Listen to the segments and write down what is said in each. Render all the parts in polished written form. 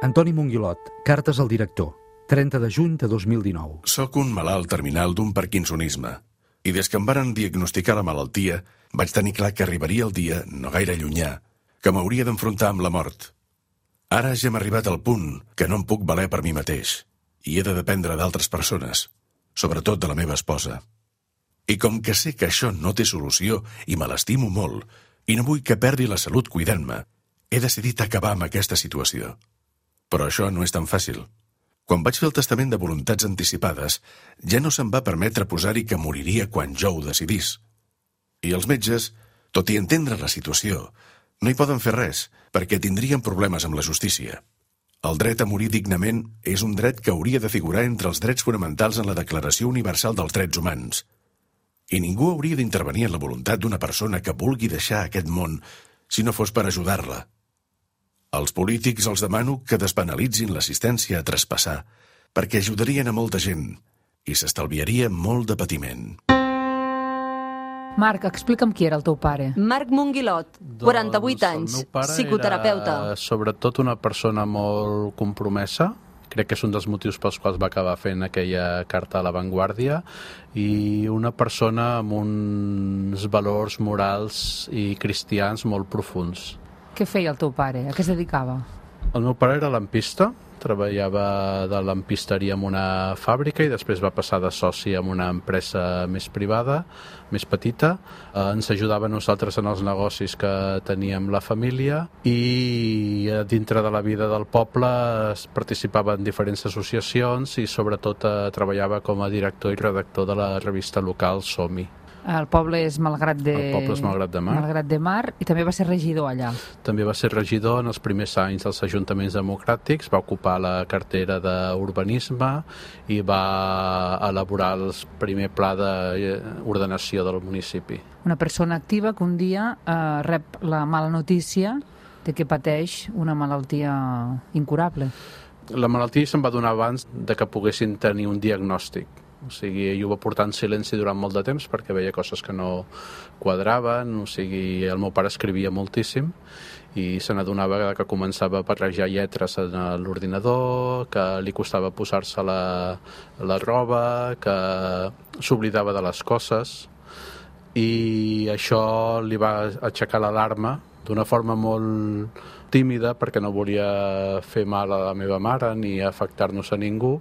Antoni Monguilot, cartes al director, 30 de juny de 2019. Soc un malalt terminal d'un parkinsonisme i des que em varen diagnosticar la malaltia vaig tenir clar que arribaria el dia, no gaire llunyà, que m'hauria d'enfrontar amb la mort. Ara ja hem arribat al punt que no em puc valer per mi mateix i he de dependre d'altres persones, sobretot de la meva esposa. I com que sé que això no té solució i me l'estimo molt i no vull que perdi la salut cuidant-me, he decidit acabar amb aquesta situació. Però això no és tan fàcil. Quan vaig fer el testament de voluntats anticipades, ja no se'm va permetre posar-hi que moriria quan jo ho decidís. I els metges, tot i entendre la situació, no hi poden fer res, perquè tindrien problemes amb la justícia. El dret a morir dignament és un dret que hauria de figurar entre els drets fonamentals en la Declaració Universal dels Drets Humans. I ningú hauria d'intervenir en la voluntat d'una persona que vulgui deixar aquest món si no fos per ajudar-la. Als polítics els demano que despenalitzin l'assistència a traspassar, perquè ajudarien a molta gent i s'estalviaria molt de patiment. Marc, explica'm qui era el teu pare. Marc Monguilot, 48 anys, el meu pare psicoterapeuta. era sobretot una persona molt compromesa. Crec que és un dels motius pels quals va acabar fent aquella carta a La Vanguardia, i una persona amb uns valors morals i cristians molt profuns. Què feia el teu pare? A què es dedicava? El meu pare era lampista, treballava de lampisteria en una fàbrica i després va passar de soci en una empresa més privada, més petita. Ens ajudava a nosaltres en els negocis que teníem la família i dintre de la vida del poble participava en diferents associacions i sobretot treballava com a director i redactor de la revista local Som-hi. El poble és Malgrat de... El poble és Malgrat de Mar. Malgrat de Mar, i també va ser regidor allà. També va ser regidor en els primers anys dels ajuntaments democràtics, va ocupar la cartera d'urbanisme i va elaborar el primer pla d'ordenació del municipi. Una persona activa que un dia rep la mala notícia de que pateix una malaltia incurable. La malaltia se'n va donar abans de que poguessin tenir un diagnòstic. O sigui, ell ho va portar en silenci durant molt de temps perquè veia coses que no quadraven. O sigui, el meu pare escrivia moltíssim i se n'adonava que començava a barrejar lletres en l'ordinador, que li costava posar-se la roba, que s'oblidava de les coses, i això li va aixecar l'alarma d'una forma molt tímida perquè no volia fer mal a la meva mare ni afectar-nos a ningú,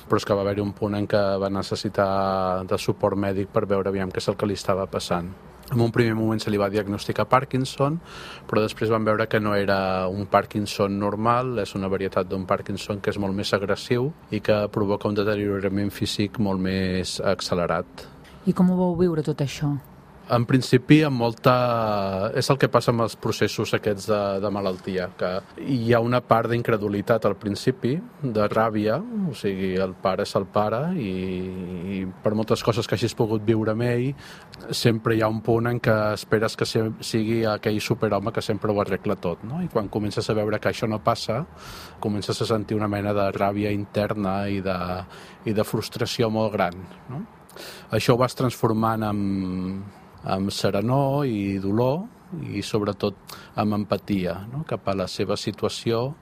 però és que va haver-hi un punt en què va necessitar de suport mèdic per veure aviam què és el que li estava passant. En un primer moment se li va diagnosticar Parkinson, però després van veure que no era un Parkinson normal, és una varietat d'un Parkinson que és molt més agressiu i que provoca un deteriorament físic molt més accelerat. I com ho vau viure tot això? En principi, amb molta... és el que passa amb els processos aquests de malaltia, que hi ha una part d'incredulitat al principi, de ràbia, o sigui, el pare és el pare i per moltes coses que hagis pogut viure amb ell, sempre hi ha un punt en què esperes que sigui aquell superhome que sempre ho arregla tot, no? I quan comences a veure que això no passa, comences a sentir una mena de ràbia interna i de frustració molt gran, no? Això ho vas transformant amb serenor i dolor i sobretot amb empatia, no? Cap a la seva situació,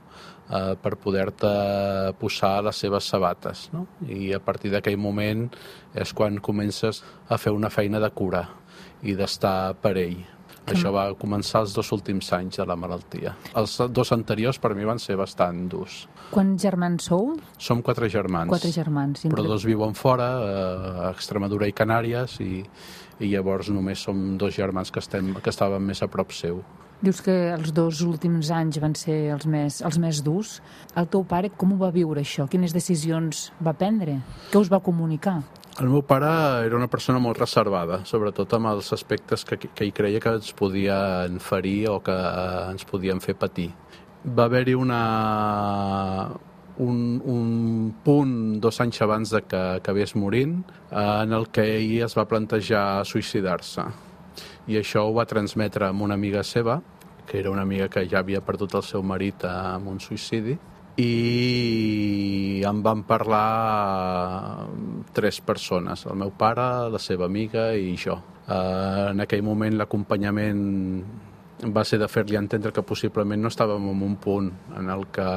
per poder-te posar a les seves sabates, no? I a partir d'aquell moment és quan comences a fer una feina de cura i d'estar per ell. Això va començar els 2 últims anys de la malaltia. Els 2 anteriors per mi van ser bastant durs. Quants germans sou? Som 4 germans. 4 germans. Però 2 viuen fora, a Extremadura i Canàries, i llavors només som 2 germans que estàvem més a prop seu. Dius que els 2 últims anys van ser els més durs. El teu pare com ho va viure, això? Quines decisions va prendre? Què us va comunicar? El meu pare era una persona molt reservada, sobretot amb els aspectes que ell creia que ens podien ferir o que ens podien fer patir. Va haver-hi un punt 2 anys abans de que acabés morint en el que ell es va plantejar suïcidar-se. I això ho va transmetre amb una amiga seva, que era una amiga que ja havia perdut el seu marit amb un suïcidi, i em van parlar 3 persones, el meu pare, la seva amiga i jo. En aquell moment l'acompanyament va ser de fer-li entendre que possiblement no estàvem en un punt en el que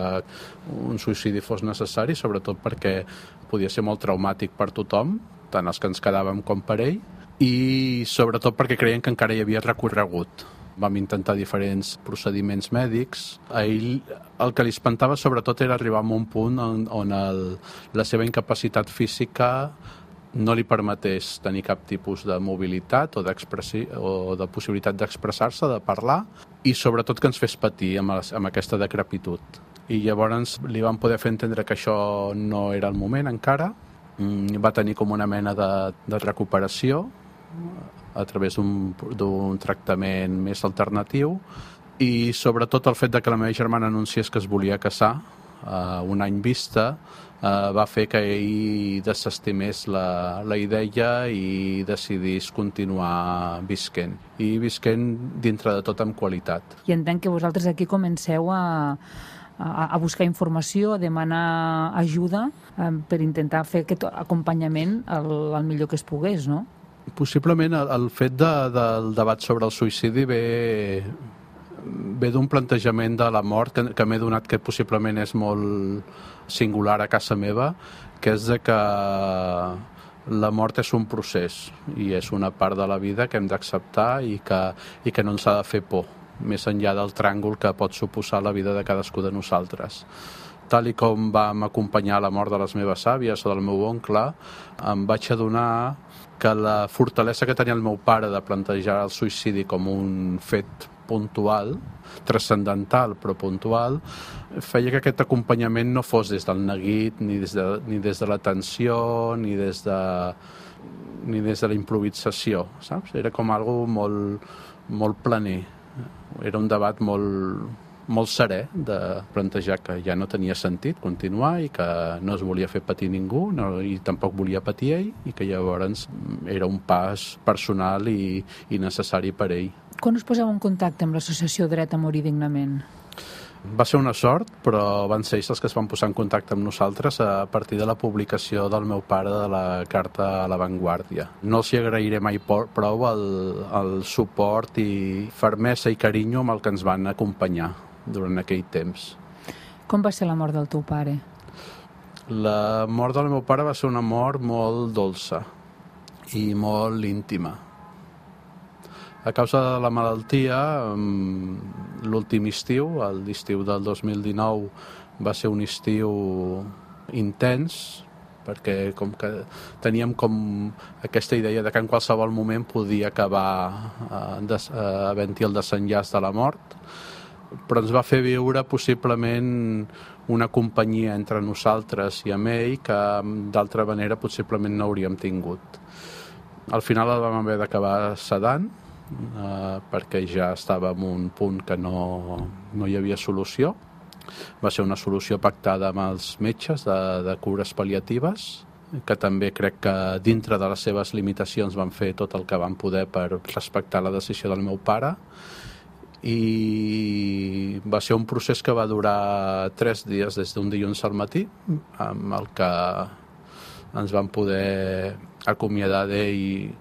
un suïcidi fos necessari, sobretot perquè podia ser molt traumàtic per tothom, tant els que ens quedàvem com per ell, i sobretot perquè creien que encara hi havia recorregut. Vam intentar diferents procediments mèdics. A ell el que li espantava sobretot era arribar a un punt on la seva incapacitat física no li permetés tenir cap tipus de mobilitat o de possibilitat d'expressar-se, de parlar, i sobretot que ens fes patir amb aquesta decrepitud. I llavors li vam poder fer entendre que això no era el moment encara. Va tenir com una mena de recuperació a través d'un tractament més alternatiu, i sobretot el fet de que la meva germana anunciés que es volia casar un any vista va fer que ell desestimés la idea i decidís continuar visquent. I visquent dintre de tot amb qualitat. I entenc que vosaltres aquí comenceu a buscar informació, a demanar ajuda per intentar fer aquest acompanyament el millor que es pogués, no? Possiblement el fet del debat sobre el suïcidi ve d'un plantejament de la mort que m'he donat, que possiblement és molt singular a casa meva, que és de que la mort és un procés i és una part de la vida que hem d'acceptar i que no ens ha de fer por, més enllà del tràngol que pot suposar la vida de cadascú de nosaltres. Tal i com vam acompanyar la mort de les meves àvies o del meu oncle, em vaig adonar que la fortalesa que tenia el meu pare de plantejar el suïcidi com un fet puntual, transcendental però puntual, feia que aquest acompanyament no fos des del neguit, ni des de la tensió, ni des de la improvisació, saps? Era com algo molt planer. Era un debat molt serè de plantejar que ja no tenia sentit continuar i que no es volia fer patir ningú i tampoc volia patir ell, i que llavors era un pas personal i necessari per ell. Quan us poseu en contacte amb l'associació Dret a Morir Dignament? Va ser una sort, però van ser ells els que es van posar en contacte amb nosaltres a partir de la publicació del meu pare de la carta a La Vanguardia. No els hi agrairé mai prou el suport i fermesa i carinyo amb el que ens van acompanyar durant aquell temps. Com va ser la mort del teu pare? La mort del meu pare va ser una mort molt dolça i molt íntima. A causa de la malaltia, l'últim estiu, l'estiu del 2019, va ser un estiu intens, perquè com que teníem com aquesta idea de que en qualsevol moment podia acabar havent-hi el desenllaç de la mort, però ens va fer viure possiblement una companyia entre nosaltres i amb ell que d'altra manera possiblement no hauríem tingut. Al final el vam haver d'acabar sedant, perquè ja estava en un punt que no hi havia solució. Va ser una solució pactada amb els metges de cures pal·liatives, que també crec que dintre de les seves limitacions van fer tot el que van poder per respectar la decisió del meu pare, i va ser un procés que va durar 3 dies des d'un dilluns al matí, amb el que ens van poder acomiadar d'ell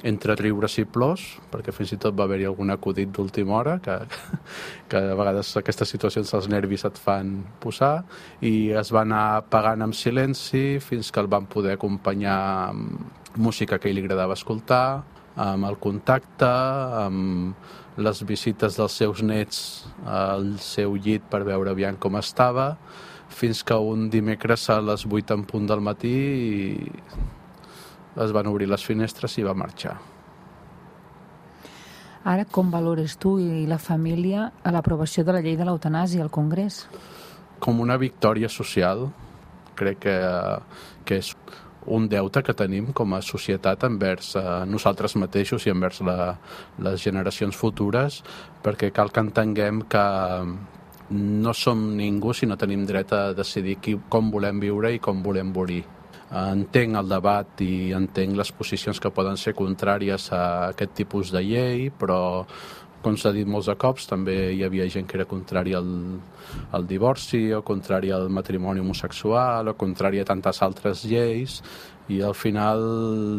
entre riures i plors, perquè fins i tot va haver-hi algun acudit d'última hora, que a vegades aquestes situacions els nervis et fan posar, i es va anar pagant amb silenci fins que el van poder acompanyar amb música que ell li agradava escoltar, amb el contacte, amb les visites dels seus nets al seu llit per veure aviam com estava, fins que un dimecres a les 8 en punt del matí es van obrir les finestres i va marxar. Ara, com valores tu i la família a l'aprovació de la llei de l'eutanàsia al Congrés? Com una victòria social. Crec que és un deute que tenim com a societat envers nosaltres mateixos i envers les generacions futures, perquè cal que entenguem que no som ningú si no tenim dret a decidir com volem viure i com volem morir. Entenc el debat i entenc les posicions que poden ser contràries a aquest tipus de llei, però, com s'ha dit molts de cops, també hi havia gent que era contrària al divorci, o contrària al matrimoni homosexual, o contrària a tantes altres lleis, i al final,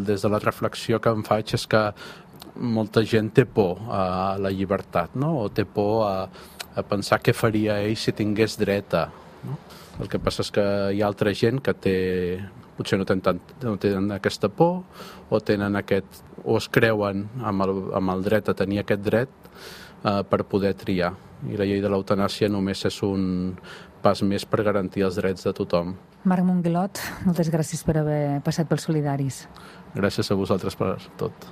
des de la reflexió que em faig, és que molta gent té por a la llibertat, no? O té por a pensar què faria ell si tingués dret a... No? El que passa és que hi ha altra gent que potser no tenen aquesta por o tenen o es creuen amb el dret a tenir aquest dret per poder triar. I la llei de l'eutanàsia només és un pas més per garantir els drets de tothom. Marc Monguilot, moltes gràcies per haver passat pels Solidaris. Gràcies a vosaltres per tot.